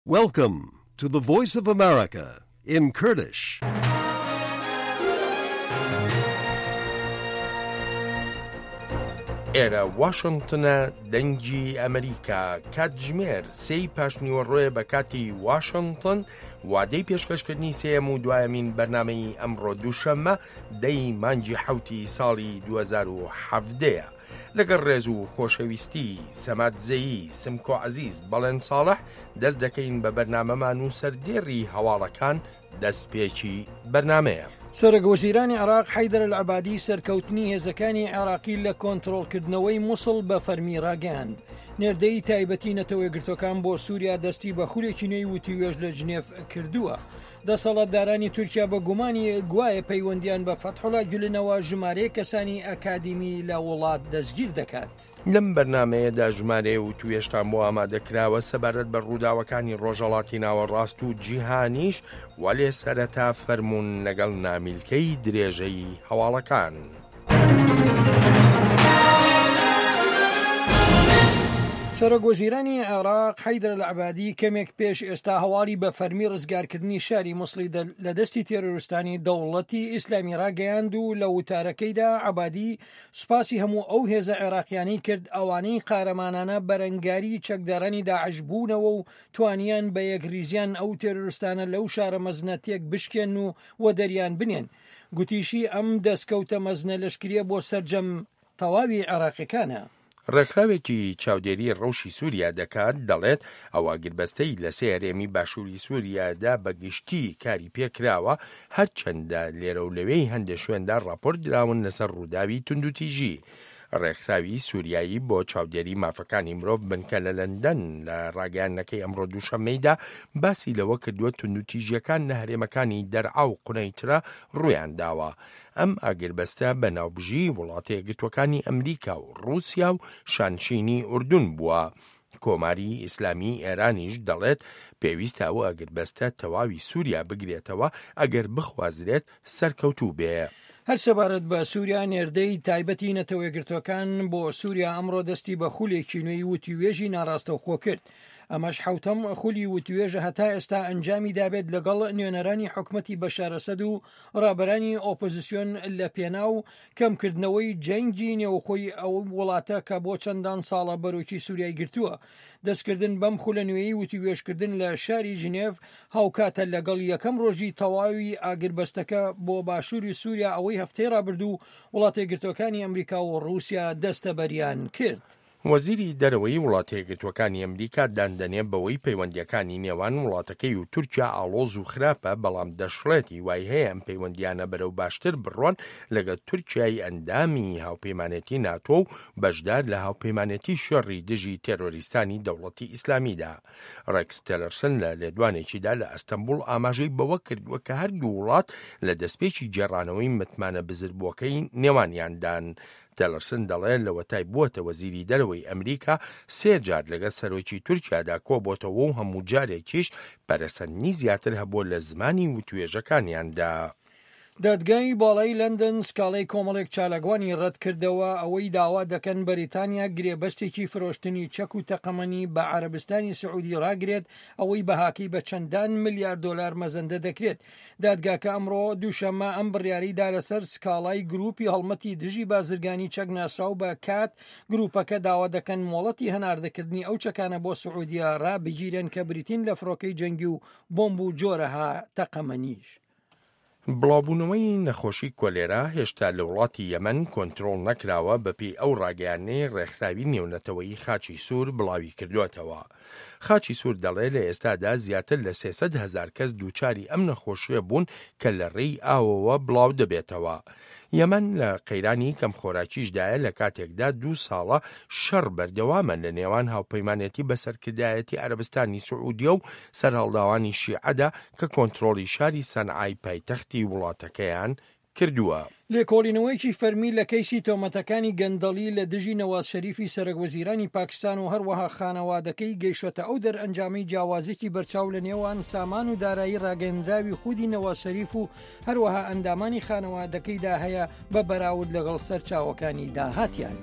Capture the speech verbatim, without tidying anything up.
Welcome to the Voice of America in Kurdish. ئێرە واشنگتنە، دەنگی ئەمریکا، کاتژمێر سێی پاشنیوەڕۆیە بە کاتی واشنگتن، وادەی پێشکەشکردنی سێیەم و دوایەمین بەرنامەی ئەمڕۆ دووشەممە دەی مانگی حەوتی ساڵی دوو هەزار و حەڤدە یە. لەگەڵ ڕێز و خۆشەویستی سەماد زەیی، سمکۆ عەزیز، بەڵێن ساڵح دەست دەکەین بە بەرنامەمان و سەردێڕی هەواڵەکان دەستپێکی بەرنامەیە. سەرۆک وەزیرانی عێراق حەیدەر ئەلعەبادی سەرکەوتنی هێزەکانی عێراقی لە کۆنترۆڵکردنەوەی موسڵ بە فەرمی ڕاگەیاند. نێردەی تایبەتی نەتەوە یەکگرتووەکان بۆ سووریا دەستی بە خولێکی نوێی وتووێژ لە جنێف کردووە. دەسەڵاتدارانی تورکیا بە گومانی گوایە پەیوەندیان بە فەتحوڵا گولنەوە ژمارەیەک کەسانی ئەکادیمی لە وڵات دەستگیر دەکات. لەم بەرنامەیەدا ژمارەیە وتوێژتان بۆ ئامادەکراوە سەبارەت بە ڕووداوەکانی ڕۆژهەڵاتی ناوەڕاست و جیهانیش، وەلێ سەرەتا فەرموون لەگەڵ نامیلکەی درێژەی هەواڵەکان. سەرۆک وەزیرانی عێراق حەیدەر ئەلعەبادی کەمێک پێش ئێستا هەواڵی بە فەرمی ڕزگارکردنی شاری موسڵی لە دەستی تێرۆریستانی دەوڵەتی ئیسلامی ڕاگەیاند و لە وتارەکەیدا عەبادی سوپاسی هەموو ئەو هێزە عێراقیانەی کرد ئەوانەی قارەمانانە بەرەنگاری چەکدارانی داعش بوونەوە و توانیان بە یەکریزیان ئەو تێرۆریستانە لەو شارە مەزنە تێک بشکێن و وەدەریان بنێن. گوتیشی ئەم دەستکەوتە مەزنە لەشکریە بۆ سەرجەم تەواوی عێراقیەکانە. ڕێکخراوێکی چاودێری ڕەوشی سووریا دەکات دەڵێت ئەو ئاگربەستەی لە سێ هەرێمی باشووری سووریادا بەگشتی کاری پێکراوە، هەرچەندە لێرە و لەوێی هەندێک شوێندا ڕاپۆرت دراون لەسەر ڕووداوی توندوتیژی. ڕێکخراوی سووریایی بۆ چاودێری مافەکانی مرۆڤ بنکە لە لەندەن لە ڕاگەیاندنەکەی ئەمڕۆ دووشەممەیدا باسی لەوە کردووە توندوتیژیەکان لە هەرێمەکانی دەرعا و قونەیترە ڕوویان داوە. ئەم ئاگربەستە بە ناوبژی وڵاتە یەکگرتووەکانی ئەمریکا و ڕووسیا و شانشینی ئوردون بووە. کۆماری ئیسلامی ئێرانیش دەڵێت پێویستە ئەو ئاگربەستە تەواوی سووریا بگرێتەوە ئەگەر بخوازرێت سەرکەوتوو بێ. هەر سەبارەت بە سووریا، نێردەی تایبەتی نەتەوە یەکگرتووەکان بۆ سووریا ئەمڕۆ دەستی بە خولێکی نوێی وتوێژی ناڕاستەوخۆ کرد. ئەمەش حوتەم خولی وتوێژە هەتا ئێستا ئەنجامی دابێت لەگەڵ نوێنەرانی حکومەتی بەشار ئەسەد و ڕابەرانی ئۆپۆزیسیۆن لە پێناو کەمکردنەوەی جەنگی نێوخۆی ئەو وڵاتە کە بۆ چەندان ساڵە بەرۆکی سووریای گرتووە. دەستکردن بەم خولە نوێی وتوێژکردن لە شاری ژنێڤ هاوکاتە لەگەڵ یەکەم ڕۆژی تەواوی ئاگربەستەکە بۆ باشووری سووریا ئەوەی هەفتەی ڕابردوو وڵاتە یەکگرتووەکانی ئەمریکا و ڕووسیا دەستەبەریان کرد. وەزیری دەرەوەی وڵاتە یەکگرتووەکانی ئەمریکا داندەنێ بەوەی پەیوەندیەکانی نێوان وڵاتەکەی و تورکیا ئاڵۆز و خراپە، بەڵام دەشڵێت هیوای هەیە ئەم پەیوەندیانە بەرەو باشتر بڕۆن لەگەڵ تورکیای ئەندامی هاوپەیمانێتی ناتۆ و بەشدار لە هاوپەیمانێتی شەڕی دژی تێرۆریستانی دەوڵەتی ئیسلامیدا. ڕێکس تێلەرسن لە لێدوانێکیدا لە ئەستەنبوڵ ئاماژەی بەوە کردووە کە هەردوو وڵات لە دەستپێکی گێڕانەوەی متمانە بزربووەکەی نێوانیاندان. تێلەرسن دەڵێ لەوەتای بووەتە وەزیری دەرەوەی ئەمریکا سێ جار لەگەڵ سەرۆکی تورکیادا کۆبۆتەوە و هەموو جارێکیش پەرەسەندنی زیاتر هەبووە لە زمانی وتوێژەکانیاندا. دادگای باڵای لەندەن سکاڵای کۆمەڵێک چالاکوانی ڕەتکردەوە ئەوەی داوا دەکەن بەریتانیا گرێبەستێکی فرۆشتنی چەک و تەقەمەنی بە عەرەبستانی سعودی ڕاگرێت ئەوەی بەهاکەی بە چەندان ملیار دۆلار مەزەندە دەکرێت. دادگاکە ئەمڕۆ دووشەممە ئەم بڕیاریدا لەسەر سکاڵای گروپی هەڵمەتی دژی بازرگانی چەک ناسراو بە کات. گروپەکە داوا دەکەن مۆڵەتی هەناردەکردنی ئەو چەکانە بۆ سعودیە ڕابگیرن کە بریتین لە فڕۆکەی جەنگی و بۆمب و جۆرەها تەقەمەنیش. بڵاوبوونەوەی نەخۆشی کۆلێرا هێشتا لە وڵاتی یەمەن کۆنترۆڵ نەکراوە بەپێی ئەو ڕاگەیاندنەی ڕێکخراوی نێونەتەوەیی خاچی سوور بڵاوی کردووەتەوە. خاچی سوور دەڵێ لە ئێستادا زیاتر لە سێ سەد هەزار کەس دووچاری ئەم نەخۆشیە بوون کە لە ڕێی ئاوەوە بڵاو دەبێتەوە. یەمەن لە قەیرانی کەمخۆراکیشدایە لە کاتێکدا دوو ساڵە شەڕ بەردەوامە لە نێوان هاوپەیمانێتی بەسەرکردایەتی عەرەبستانی سعودیە و سەرهەڵداوانی شیعەدا کە کۆنترۆڵی شاری سەنعای پایتەختی وڵاتەکەیان کردووە. لێکۆڵینەوەیەکی فەرمی لە کەیسی تۆمەتەکانی گەندەڵی لە دژی نەواز شەریفی سەرەک وەزیرانی پاکستان و هەروەها خانەوادەکەی گەیشتە ئەو دەرئەنجامەی جیاوازێکی بەرچاو لە نێوان سامان و دارایی ڕاگەندراوی خودی نەواز شەریف و هەروەها ئەندامانی خانەوادەکەیدا هەیە بە بەراورد لەگەڵ سەرچاوەکانی داهاتیان.